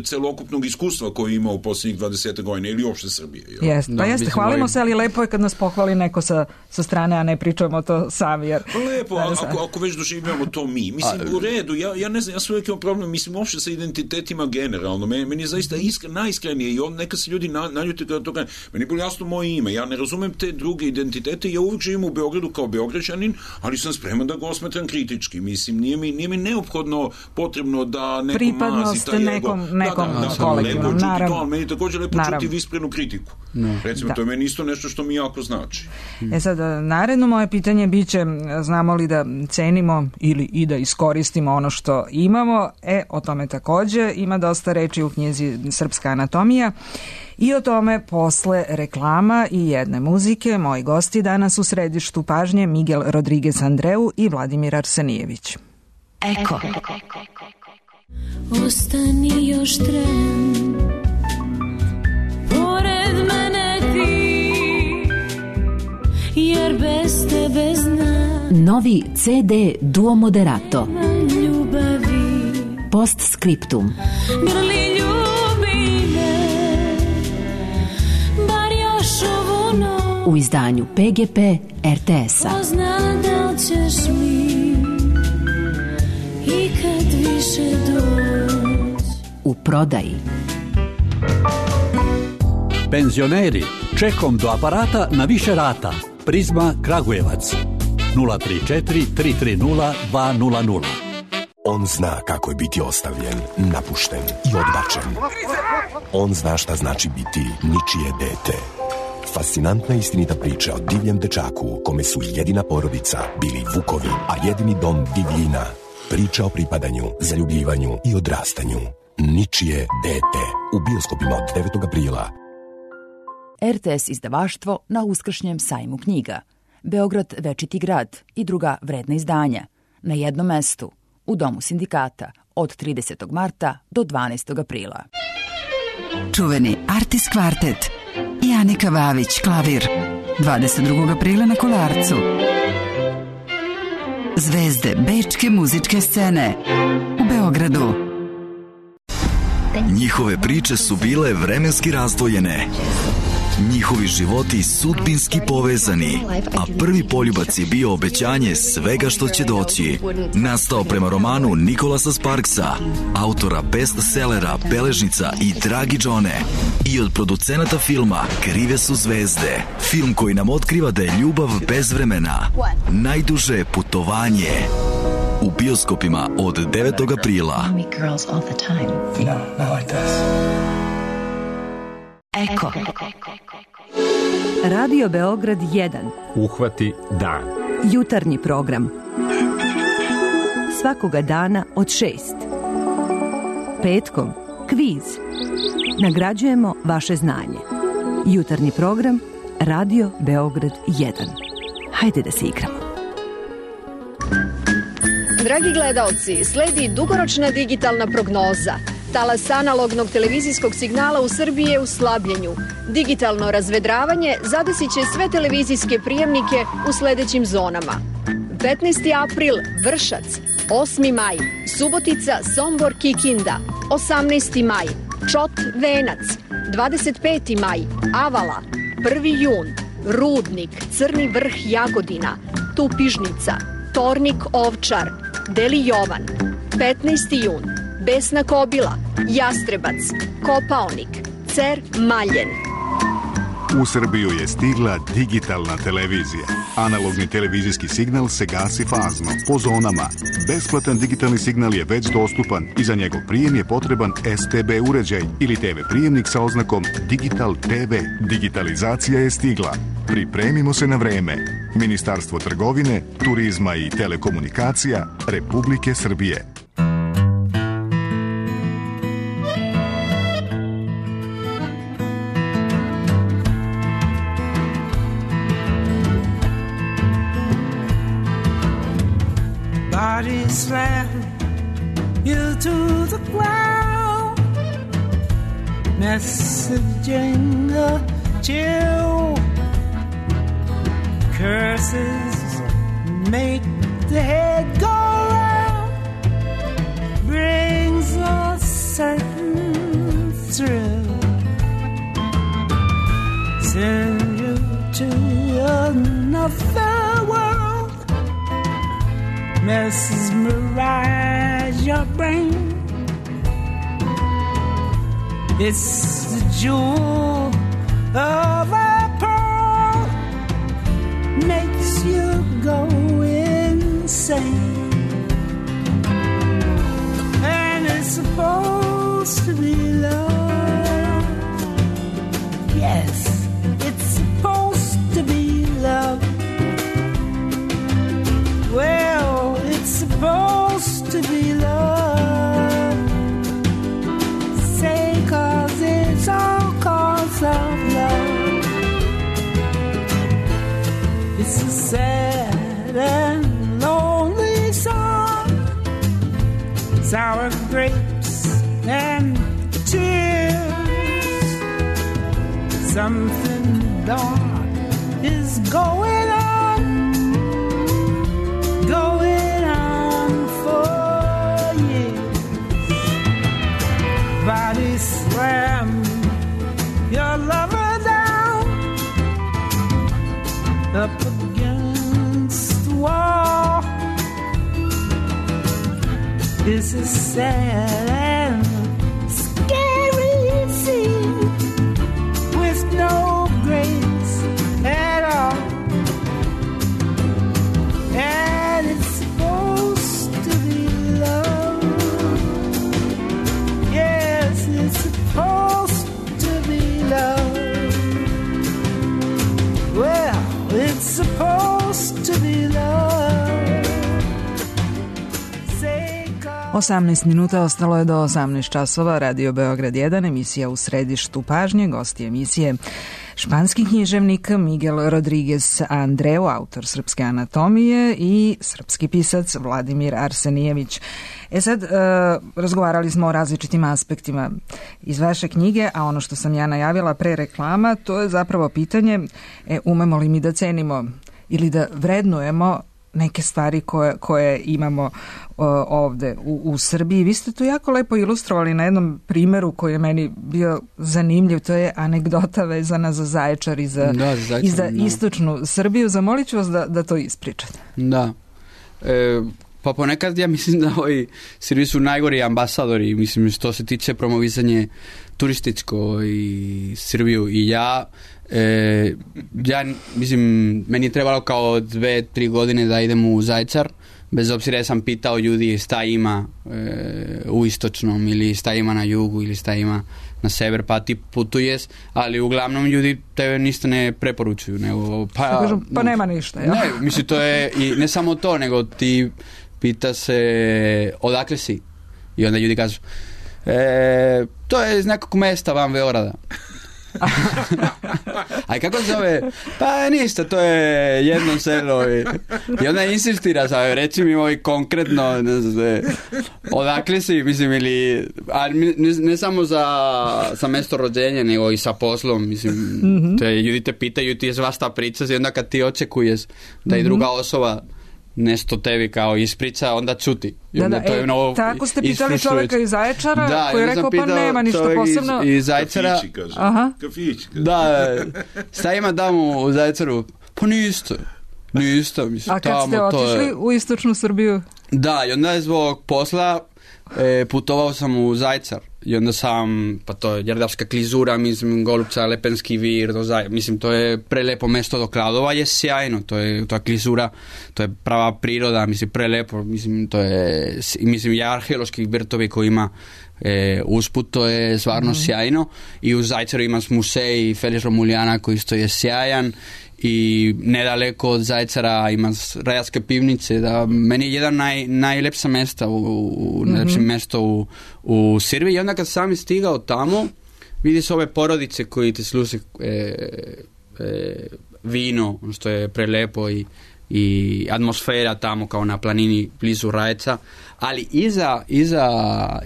celokupnog iskustva koje ima u posljednjih 20 godina ili uopšte Srbije. Jeste, hvalimo se, ali lepo je kad nas pohvali neko sa strane, a ne pričamo to sami. Lepo, ako već doživljamo to mi. Mislim, u redu, ja ne znam, ja sam uvijek imam problem, mislim, uopšte sa identitetima generalno. Meni je zaista najiskrenije i neka se ljudi naljuti kada to kaže. Meni je bilo jasno moje ime. Ja ne razumem te druge identitete. Ja uvijek živim u Beogradu kao Beograđanin, ali sam spreman da ga osmetram kritički. Mislim, nije mi neophodno potrebno da neko mazi taj ego. Nekom kolektivnom, naravno. Ali meni je također lepo čuti visprenu kritiku. Recimo, to je meni isto nešto što mi jako znači. Sad, naredno moje pitanje biće, znamo li da cenimo ili i da iskoristimo ono što imamo? O tome također ima dosta reči u knjizi Srpska anatomija. I o tome posle reklama i jedne muzike. Moji gosti danas u središtu pažnje Miguel Rodriguez Andreu i Vladimir Arsenijević. Eko. Ostani još tren, pored mene ti, jer bez tebe znam. Novi CD Duo Moderato. Ljubavi. Post Scriptum. Grli ljubi me, bar još ovu noć. U izdanju PGP RTS-a. Pozna da ćeš mi i kad više doć. U prodaji. Penzioneri, čekom do aparata na više rata. Prizma Kragujevac 034 330 200. On zna kako je biti ostavljen, napušten i odbačen. On zna šta znači biti ničije dete. Fascinantna istinita priča o divljem dečaku kome su jedina porodica bili vukovi, a jedini dom divljina. Priča o pripadanju, zaljubljivanju i odrastanju. Ničije dete. U bioskopima od 9. aprila. RTS izdavaštvo na uskršnjem sajmu knjiga. Beograd večiti grad i druga vredna izdanja. Na jednom mestu. U Domu sindikata od 30. marta do 12. aprila. Čuveni Artis kvartet i Anika Vavić klavir 22. aprila na Kolarcu. Zvezde bečke muzičke scene u Beogradu. Njihove priče su bile vremenski razdvojene. Njihovi životi sudbinski povezani, a prvi poljubac je bio obećanje svega što će doći. Nastao prema romanu Nikolasa Sparksa, autora bestsellera Beležnica i Dragi Džone, i od producenata filma Krive su zvezde. Film koji nam otkriva da je ljubav bez vremena. Najduže putovanje. U bioskopima od 9. aprila. Eko. Radio Beograd 1. Uhvati dan. Jutarnji program. Svakoga dana od 6. Petkom kviz. Nagrađujemo vaše znanje. Jutarnji program Radio Beograd 1. Hajde da se igramo. Dragi gledaoci, sledi dugoročna digitalna prognoza. Talas analognog televizijskog signala u Srbiji je u slabljenju. Digitalno razvedravanje zadesit će sve televizijske prijemnike u sledećim zonama. 15. april Vršac, 8. maj Subotica, Sombor, Kikinda, 18. maj Čot, Venac, 25. maj Avala, 1. jun Rudnik, Crni Vrh, Jagodina, Tupižnica, Tornik, Ovčar, Deli Jovan, 15. jun Besna Kobila, Jastrebac, Kopaonik, Cer, Maljen. U Srbiju je stigla digitalna televizija. Analogni televizijski signal se gasi fazno, po zonama. Besplatan digitalni signal je već dostupan i za njegov prijem je potreban STB uređaj ili TV prijemnik sa oznakom Digital TV. Digitalizacija je stigla. Pripremimo se na vreme. Ministarstvo trgovine, turizma i telekomunikacija Republike Srbije. body slam you to the ground, messaging a chill. Curses make the head go round, brings a certain thrill, send you to another world, mesmerize your brain. It's the jewel of a pearl, makes you go insane. And it's supposed to be love. Yes, it's supposed to be love. Well, it's supposed to be love. Say 'cause it's all 'cause of love. It's a sad and lonely song, sour grapes and tears. Something dark is going on for years. Body slam your lover down, up against the wall. It's a sad and scary scene with no grace at all. And it's supposed to be love. Yes, it's supposed to be love. Well, it's supposed to be love. 18 minuta ostalo je do 18 časova. Radio Beograd 1, emisija U središtu pažnje. Gosti emisije španski književnik Miguel Rodriguez Andreu, autor Srpske anatomije, i srpski pisac Vladimir Arsenijević. Sad, razgovarali smo o različitim aspektima iz vaše knjige, a ono što sam ja najavila pre reklama, to je zapravo pitanje umemo li mi da cenimo ili da vrednujemo neke stvari koje imamo ovde u Srbiji. Vi ste to jako lepo ilustrovali na jednom primeru koji je meni bio zanimljiv. To je anegdota vezana za Zaječar i za istočnu Srbiju. Zamolit ću vas da to ispričate. Da. Pa ponekad ja mislim da Srbi su najgori ambasadori, mislim, što se tiče promovisanje turističko i Srbiju. I ja mislim, meni je trebalo kao 2-3 godine da idem u Zaječar, bez obzira sam pitao ljudi šta ima u istočnom ili šta ima na jugu ili šta ima na sever, pa ti putuješ, ali uglavnom ljudi tebe ništa ne preporučuju, nego pa nema ništa, ja? Ne, mislim, to je i ne samo to, nego ti pita se odakle si i onda ljudi kažu to je iz nekog mesta van Beograda. A kako se zove? Pa ništa, to je jedno selo i onda insistira, reci mi konkretno odakle si, mislim, ili ne samo za mesto rođenja, nego i sa poslom, mislim, ljudi te pitaju, ti je svašta priča i onda kad ti očekuješ da i druga osoba nešto tebi kao ispriča, onda čuti. Tako ste pitali čovjeka iz Zaječara, koji je rekao pa nema ništa posebno. Iz Zaječara. Kafići, kaže. Kafići, kaže. Da, šta ima tamo u Zaječaru? Pa ništa, mislim. A kad ste otišli u istočnu Srbiju? Da, i onda je zbog posla putovao sam u Zaječar. I onda sam, pa to je Đerdapska klizura, mislim, Golubca, Lepenski vir, mislim, to je prelepo mesto do Kladova, je sjajno, to je klizura, to je prava priroda, mislim, prelepo, mislim, to je, mislim, i arheološki vrtovi koji ima usput, to je stvarno sjajno. I u Zajceru ima musej Felix Romuljana koji isto je sjajan, i nedaleko od Zaječara ima Rajarske pivnice, da meni je jedan najlepša mesta najlepše mesto u Srbiji. I onda kad sam stigao tamo, vidiš ove porodice koji te služe vino, što je prelepo, i atmosfera tamo kao na planini blizu Rajca, ali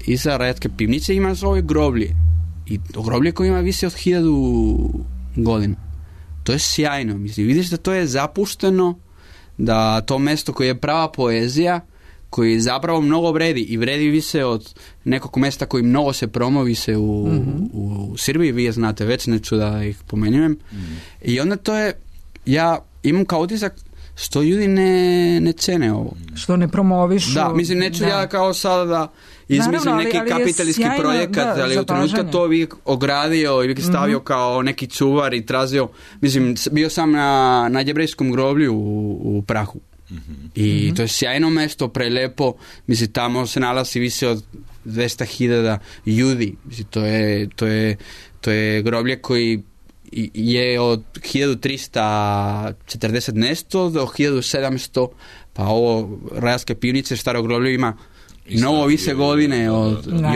iza Rajatske pivnice ima svoje groblje i groblje koje ima više od 1000 godina. To je sjajno, mislim, vidiš da to je zapušteno, da to mesto koje je prava poezija, koji zapravo mnogo vredi i vredi više od nekog mesta koji mnogo se promovi se u Srbiji, vi je znate već, neću da ih pomenujem. I onda to je, ja imam kao utisak što ljudi ne cene ovo. Što ne promovišu. Da, mislim, neću ja kao sada da izmislim neki kapitalistički projekat, ali u trenutku to bi ogradio i bi stavio kao neki čuvar i tražio, mislim, bio sam na jevrejskom groblju u Prahu. I to je sjajno mesto, prelepo, mislim, tamo se nalazi više od 200.000 ljudi, mislim, to je groblje koji je od 1340 nešto do 1700, pa ovo Rajatske pivnice, staro groblje ima mnogo više godine i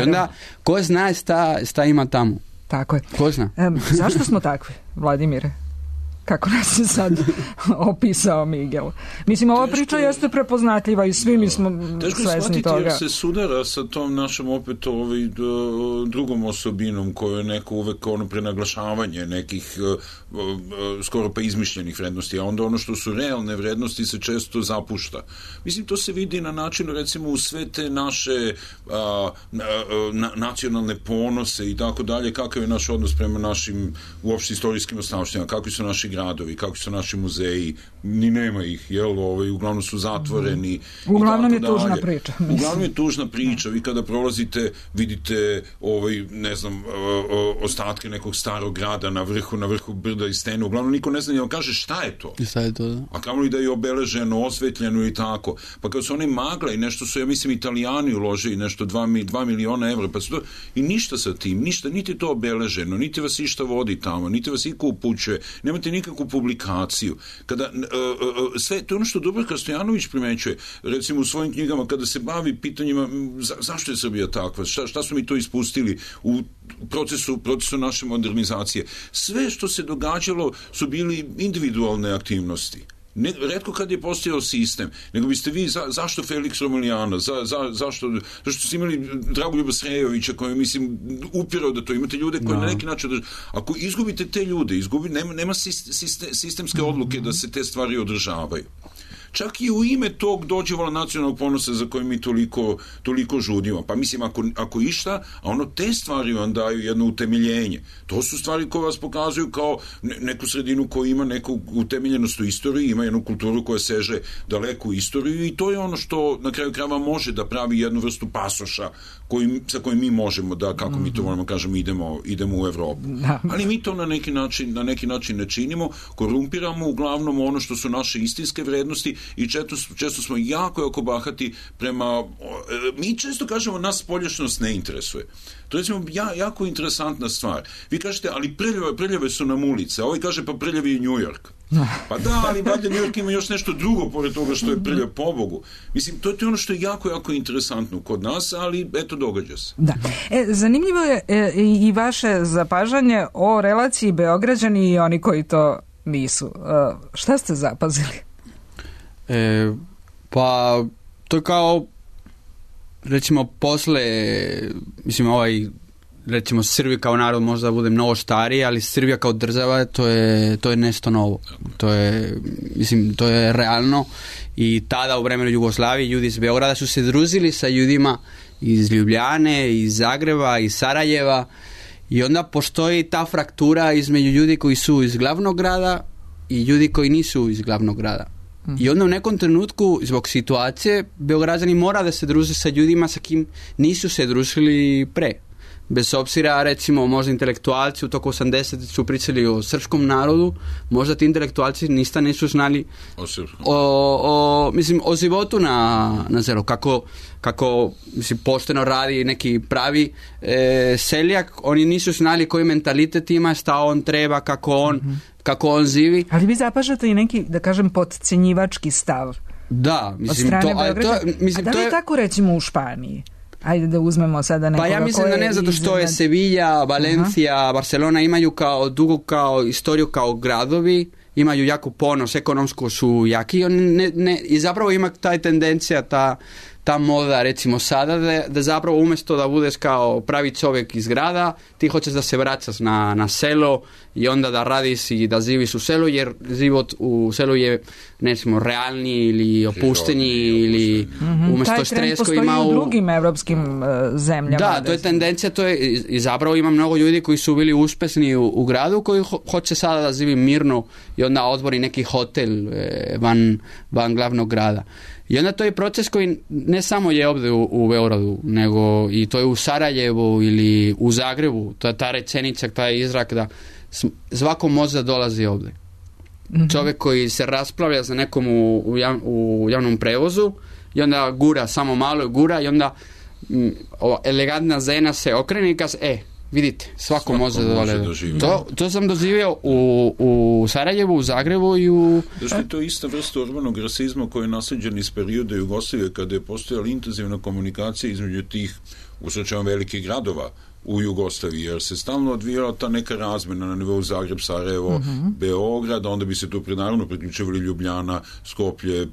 onda ko zna šta ima tamo. Tako je. Ko zna? Zašto smo takvi, Vladimire? Kako nas je sad opisao Miguel. Mislim, ova priča jeste prepoznatljiva i svi mi smo svesni toga. Jer se sudara sa tom našom opet drugom osobinom koju je neko uvek prenaglašavanje nekih skoro pa izmišljenih vrednosti, a onda ono što su realne vrednosti se često zapušta. Mislim, to se vidi na načinu, recimo, u sve te naše nacionalne ponose i tako dalje, kakav je naš odnos prema našim uopšte istorijskim ostavštinama, kakvi su naši gradovi, kakvi su naši muzeji, ni nema ih, uglavnom su zatvoreni. Uglavnom je tužna priča. Uglavnom je tužna priča. Vi kada prolazite, vidite ostatke nekog starog grada na vrhu brda i stene. Uglavnom niko ne zna ni da kaže šta je to. A kamoli da je obeleženo, osvetljeno i tako. Pa kad su oni magla i nešto su, ja mislim, Italijani uložili nešto 2 miliona evra, pa su to, i ništa sa tim, ništa, niti to obeleženo, niti vas išta vodi tamo, niti vas iko upućuje, nemate nikakvu publikaciju. Kada sve, to je ono što Dubravka Stojanović primećuje, recimo u svojim knjigama, kada se bavi pitanjima zašto je Srbija takva, šta smo mi to ispustili u procesu naše modernizacije. Sve što se događalo su bili individualne aktivnosti. Retko kad je postojao sistem, nego biste vi, zašto Felix Romulijana, zašto ste imali Dragoljuba Srejovića koji, mislim, upirao da to imate ljude koji na neki način, ako izgubite te ljude, nema sistemske odluke da se te stvari održavaju. Čak i u ime tog dođevala nacionalnog ponosa za koje mi toliko žudimo. Pa mislim, ako išta, a ono te stvari vam daju jedno utemeljenje. To su stvari koje vas pokazuju kao neku sredinu koja ima neku utemeljenost u istoriji, ima jednu kulturu koja seže daleko u istoriju i to je ono što na kraju krajeva može da pravi jednu vrstu pasoša sa kojim mi možemo da, kako mi to moramo kažemo, idemo u Evropu. Ali mi to na neki način ne činimo, korumpiramo uglavnom ono što su naše istinske vrednosti i često smo jako bahati prema... Mi često kažemo nas spoljašnost ne interesuje. To je jako interesantna stvar. Vi kažete, ali prljave su nam ulice, a ovaj kaže, pa prljavi je New York. Pa da, ali valjda New York ima još nešto drugo pored toga što je prljav, pobogu. Mislim, to je ono što je jako interesantno kod nas, ali eto, događa se. Da. Zanimljivo je i vaše zapažanje o relaciji Beograđani i oni koji to nisu. Šta ste zapazili? Pa to je kao recimo posle, mislim, recimo Srbija kao narod možda bude mnogo stariji, ali Srbija kao država to je nešto novo. To je realno i tada u vremenu Jugoslavije ljudi iz Beograda su se družili sa ljudima iz Ljubljane, iz Zagreba, iz Sarajeva i onda postoji ta fraktura između ljudi koji su iz glavnog grada i ljudi koji nisu iz glavnog grada. I onda u nekom trenutku, zbog situacije, Beograđani mora da se druže sa ljudima sa kim nisu se družili pre. Bez obzira, recimo, možda intelektualci u toku 80 su pričali o srpskom narodu, možda ti intelektualci nisu znali o životu na selu, kako mislim, pošteno radi neki pravi seljak, oni nisu znali koji mentalitet ima, šta on treba, kako on živi. Ali vi zapažate i neki, da kažem, podcenjivački stav. Da, mislim, od strane Beograda. A da li je tako, recimo, u Španiji? Ajde da uzmemo sada nekoga. Pa ja mislim da ne zato što je Sevilla, Valencia, Barcelona imaju dugu kao istoriju kao gradovi, imaju jako ponos, ekonomsko su jaki i zapravo ima taj tendencija, ta moda recimo sada da zapravo umjesto da budeš kao pravi čovjek iz grada, ti hoćeš da se vraćaš na selo i onda da radiš i da živiš u selu, jer život u selu je recimo realniji ili opušteniji ili umjesto stres koji ima... Taj trend postoji u drugim evropskim zemljama. Da, to je tendencija, to je i zapravo ima mnogo ljudi koji su bili uspješni u gradu koji hoće sada da živi mirno i onda otvori neki hotel van glavnog grada. I onda to je proces koji ne samo je ovdje u Beogradu, nego i to je u Sarajevu ili u Zagrebu. To je ta rečenica, taj izrak da svako može da dolazi ovdje. Čovjek koji se raspravlja za nekom u javnom prevozu i onda gura, samo malo gura i onda elegantna žena se okrene i kaže, vidite, svako može da živi. To sam doživio u Sarajevu, u Zagrebu i u... Zašto je to ista vrsta urbanog rasizma koji je naslijeđen iz perioda Jugoslavije kada je postojala intenzivna komunikacija između tih usrećama velikih gradova u Jugoslaviji, jer se stalno odvijala ta neka razmena na nivou Zagreb, Sarajevo, Beograd, onda bi se tu naravno priključivali Ljubljana, Skoplje,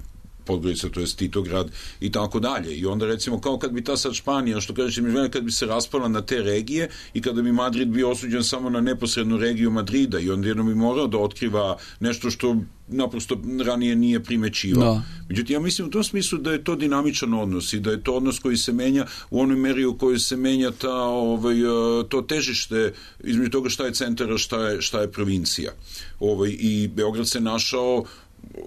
Podgorica, to je Titograd i tako dalje. I onda recimo kao kad bi ta sad Španija, što kažeš, kad bi se raspala na te regije i kada bi Madrid bio osuđen samo na neposrednu regiju Madrida i onda jedno bi morao da otkriva nešto što naprosto ranije nije primećivao. Međutim, ja mislim u tom smislu da je to dinamičan odnos i da je to odnos koji se menja u onoj meri u kojoj se menja to težište između toga šta je centar, a šta je provincija. I Beograd se našao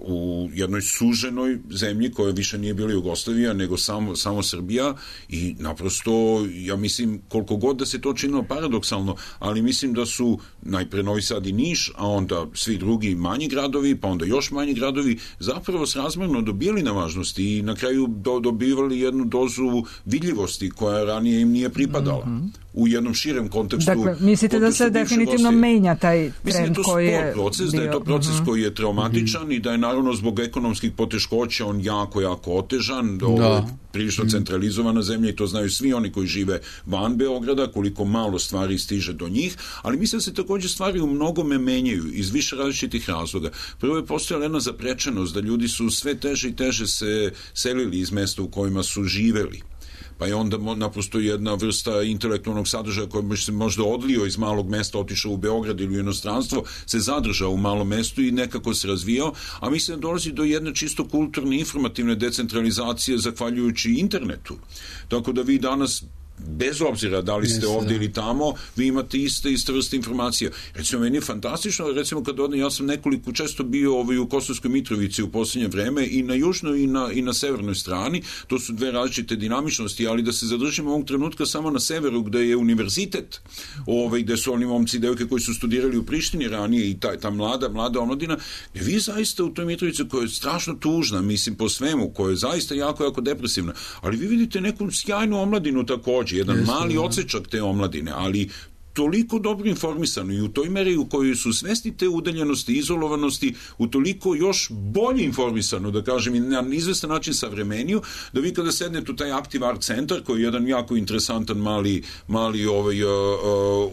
u jednoj suženoj zemlji koja više nije bila Jugoslavija nego samo Srbija i naprosto ja mislim koliko god da se to činilo paradoksalno, ali mislim da su najpre Novi Sad i Niš, a onda svi drugi manji gradovi, pa onda još manji gradovi zapravo srazmerno dobijali na važnosti i na kraju dobivali jednu dozu vidljivosti koja ranije im nije pripadala. U jednom širem kontekstu. Dakle, mislite da se definitivno menja taj trend koji je proces, da je to proces koji je traumatičan i da je naravno zbog ekonomskih poteškoća on jako otežan, prilično centralizovana zemlja i to znaju svi oni koji žive van Beograda, koliko malo stvari stiže do njih, ali mislim da se također stvari u mnogome menjaju iz više različitih razloga. Prvo je postojala jedna zaprečenost da ljudi su sve teže i teže se selili iz mesta u kojima su živeli. Pa je onda naprosto jedna vrsta intelektualnog sadržaja koji bi se možda odlio iz malog mesta, otišao u Beograd ili u inostranstvo, se zadržao u malom mestu i nekako se razvijao, a mislim da dolazi do jedne čisto kulturne, informativne decentralizacije zahvaljujući internetu. Tako da vi danas bez obzira da li ste ovdje ili tamo, vi imate iste vrste informacija. Recimo, meni je fantastično, recimo kad ja sam često bio u Kosovskoj Mitrovici u posljednje vreme i na južnoj i na severnoj strani, to su dve različite dinamičnosti, ali da se zadržimo ovog trenutka samo na severu gde je univerzitet, gde su oni momci i devojke koji su studirali u Prištini ranije i ta mlada omladina, gde vi zaista u toj Mitrovici koja je strašno tužna, mislim po svemu, koja je zaista jako depresivna, ali vi vidite neku sjajnu omladinu također, jedan mali odsečak te omladine, ali toliko dobro informisano i u toj meri u kojoj su svesni te udaljenosti, izolovanosti, u toliko još bolje informisano, da kažem, i na izvestan način savremeniju, da vi kada sednete u taj Active Art Centar, koji je jedan jako interesantan mali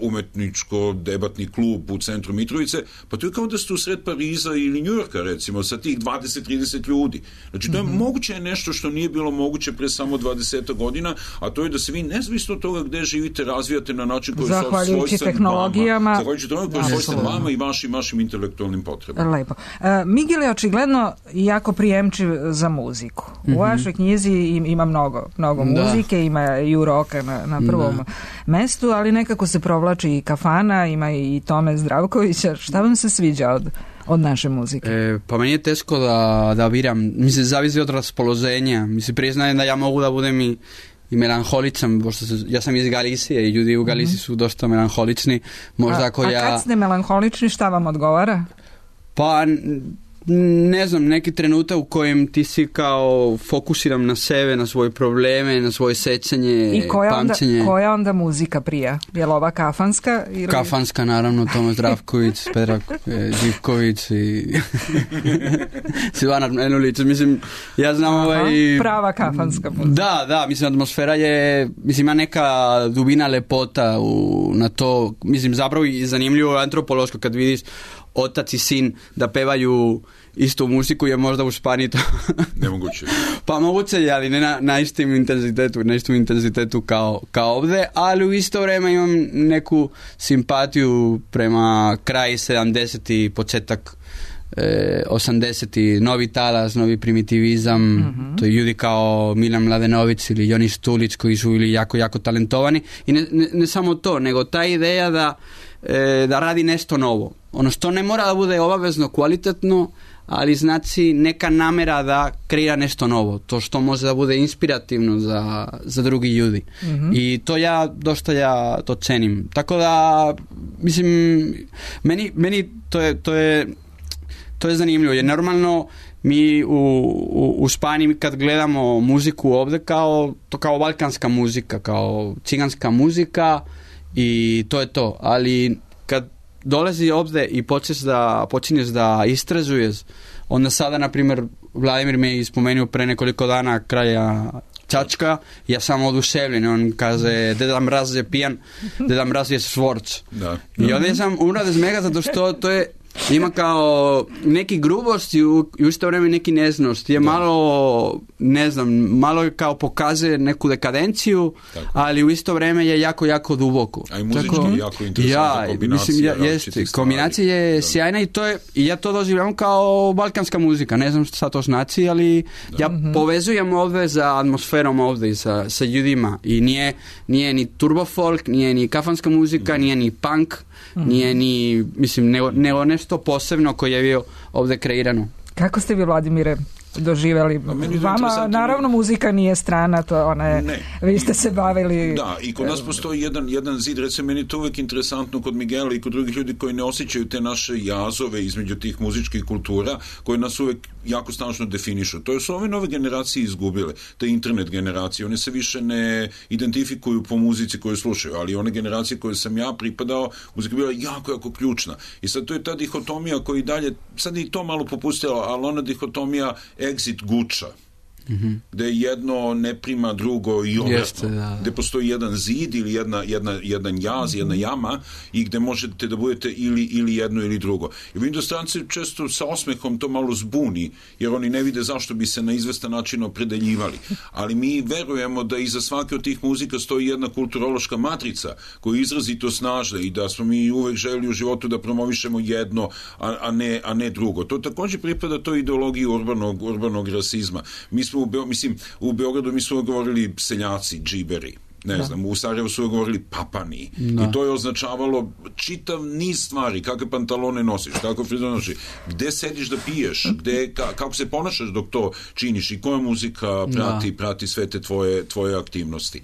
umetničko-debatni klub u centru Mitrovice, pa to je kao da ste u sred Pariza ili Njujorka, recimo, sa tih 20-30 ljudi. Znači, to je moguće nešto što nije bilo moguće pre samo 20 godina, a to je da se vi nezavisno od toga gde živite razvijate na način koji zahvaljujući tehnologijama. Zahvaljujući tome koji svojstven vama i vašim intelektualnim potrebama. Lepo. Miguel je očigledno jako prijemčiv za muziku. U vašoj knjizi ima mnogo muzike, ima i roka na prvom mestu, ali nekako se provlači i Kafana, ima i Tome Zdravkovića. Šta vam se sviđa od naše muzike? Pa meni je teško da biram. Mislim, zavisi od raspoloženja. Mislim, priznajem da ja mogu da budem i melanholičan, pošto ja sam iz Galicije i ljudi u Galiciji su dosta melanholični. Možda kad ste melanholični, šta vam odgovara? Pa ne znam, neki trenutak u kojem ti si kao fokusiram na sebe, na svoje probleme, na svoje sećanje, I pamćenje. Koja onda muzika prija? Je li ova kafanska? Ili... Kafanska, naravno, Tomas Zdravković, Petra Živković i Silvana Menulić. Mislim, ja znam prava kafanska muzika. Da, mislim, atmosfera je, mislim, ima neka dubina lepota na to, mislim, zapravo i zanimljivo antropološko kad vidiš otac i sin da pevaju istu muziku, je možda u Španiji to nemoguće. Pa moguće je, ali ne na istom intenzitetu kao ovdje, ali u isto vrijeme imam neku simpatiju prema kraju 70. početak 80. novi talas, novi primitivizam, to je ljudi kao Milan Mladenović ili Joni Štulić koji su bili jako, jako talentovani i ne samo to, nego ta ideja da radi nešto novo. Ono što ne mora da bude obavezno kvalitetno, ali znači neka namera da kreira nešto novo. To što može da bude inspirativno za drugi ljudi. I to ja to cenim. Tako da, mislim, meni to je zanimljivo. Jer normalno mi u Španiji kad gledamo muziku ovdje kao balkanska muzika, kao ciganska muzika i to je to. Ali kad dolazi ovdje i počinješ da istražuješ, onda sada, na primjer, Vladimir me je spomenuo pre nekoliko dana kraja Čačka, ja sam oduševljen, on kaže Deda Mraz je pijan, Deda Mraz je švorc. I onda sam umrao da zmega zato što to je ima kao neki grubost i u isto vrijeme neki neznost. Je malo, ne znam, malo je kao pokazuje neku dekadenciju, ali u isto vrijeme je jako, jako duboko. A i muzički jako interesantna kombinacija. Jeste, kombinacija je sjajna i ja to doživljavam kao balkanska muzika. Ne znam šta to znači, ali ja povezujem ovdje za atmosferom ovdje, sa ljudima. I nije ni turbo folk, nije ni kafanska muzika, nije ni punk, nije ni, mislim, nego nešto posebno koje je bio ovdje kreirano. Kako ste vi, Vladimire, doživjeli? Vama, naravno, muzika nije strana, to vi ste se bavili... Da, i kod nas postoji jedan zid, recimo, meni je to uvijek interesantno kod Miguela i kod drugih ljudi koji ne osjećaju te naše jazove između tih muzičkih kultura, koje nas uvijek jako snažno definišu. To su ove nove generacije izgubile, te internet generacije, one se više ne identifikuju po muzici koju slušaju, ali one generacije koje sam ja pripadao, muzika je bila jako, jako ključna. I sad to je ta dihotomija koja i dalje, sad i to malo popustila, ali ona dihotomija exit guča, gde jedno ne prima drugo i obratno, gde postoji jedan zid ili jedan jaz, jedna jama i gde možete da budete ili jedno ili drugo. I vidim da stranci često sa osmehom to malo zbuni, jer oni ne vide zašto bi se na izvestan način opredeljivali. Ali mi verujemo da iza svake od tih muzika stoji jedna kulturološka matrica koja je izrazito snažna i da smo mi uvek želi u životu da promovišemo jedno, a ne drugo. To također pripada toj ideologiji urbanog rasizma. Mi smo u Beogradu mi smo govorili seljaci, džiberi, ne znam, u Sarajevu su govorili papani i to je označavalo čitav niz stvari, kakve pantalone nosiš, kako frizure nosiš, gde sediš da piješ, kako se ponašaš dok to činiš i koja muzika prati sve te tvoje aktivnosti.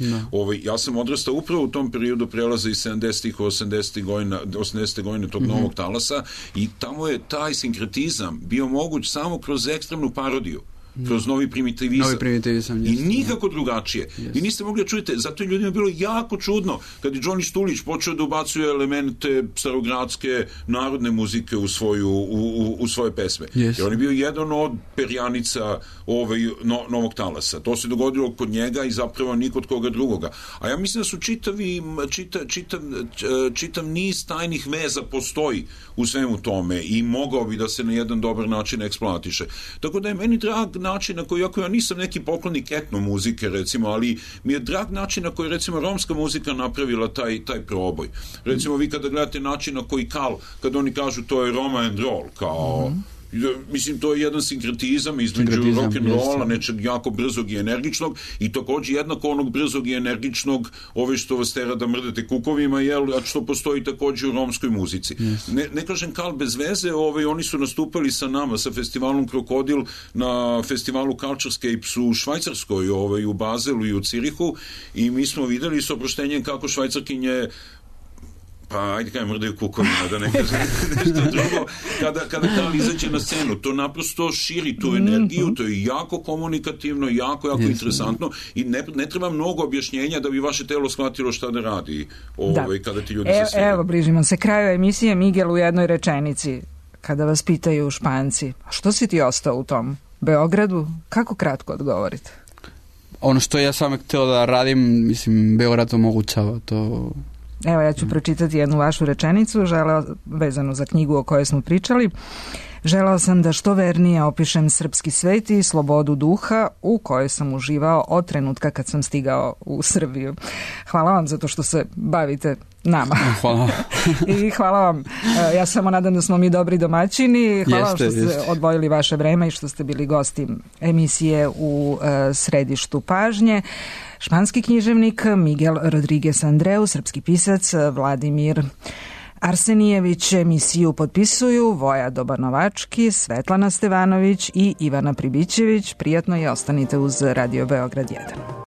Ja sam odrastao upravo u tom periodu prelaza iz 70-ih u 80. godine tog novog talasa i tamo je taj sinkretizam bio moguć samo kroz ekstremnu parodiju, kroz novi primitivizam. I nikako drugačije. Vi niste mogli da čujete, zato je ljudima bilo jako čudno kad je Joni Štulić počeo da ubacuje elemente starogradske narodne muzike u svoje pesme. Jer on je bio jedan od perjanica novog talasa. To se dogodilo kod njega i zapravo nikod koga drugoga. A ja mislim da su čitav niz tajnih veza postoji u svemu tome i mogao bi da se na jedan dobar način eksploatiše. Tako da je meni drag način na koji, ako ja nisam neki poklonik etno muzike, recimo, ali mi je drag način na koji, recimo, romska muzika napravila taj proboj. Recimo, vi kada gledate način na koji kad oni kažu to je Roma and roll, kao... Mislim, to je jedan sinkretizam između rock'n'rolla, nečeg jako brzog i energičnog i također jednako onog brzog i energičnog što vas tera da mrdete kukovima, a što postoji također u romskoj muzici. Ne kažem Kal bez veze, oni su nastupali sa nama, sa festivalom Krokodil na festivalu Culturescapes u Švajcarskoj, u Bazelu i u Cirihu i mi smo videli s oproštenjem kako Švajcarkinje pa ajde kaj mrdaju kukovina, da ne kažem nešto drugo, kada Karl izađe na scenu, to naprosto širi tu energiju, to je jako komunikativno, jako interesantno i ne treba mnogo objašnjenja da bi vaše telo shvatilo šta da radi kada ti ljudi se svijaju. Evo, bližimo se kraju emisije. Miguel, u jednoj rečenici, kada vas pitaju Španci, a što si ti ostao u tom Beogradu, kako kratko odgovorite? Ono što ja sam htio da radim, mislim, Beograd omogućava to. Evo, ja ću pročitati jednu vašu rečenicu, vezanu za knjigu o kojoj smo pričali. Želeo sam da što vernije opišem srpski svet i slobodu duha u kojoj sam uživao od trenutka kad sam stigao u Srbiju. Hvala vam zato što se bavite nama. Hvala. I hvala vam. Ja samo nadam da smo mi dobri domaćini. Hvala vam što ste odvojili vaše vreme i što ste bili gosti emisije u središtu pažnje. Španski književnik Miguel Rodriguez Andreu, srpski pisac Vladimir Arsenijević. Emisiju potpisuju Voja Dobanovački, Svetlana Stevanović i Ivana Pribićević. Prijatno i ostanite uz Radio Beograd 1.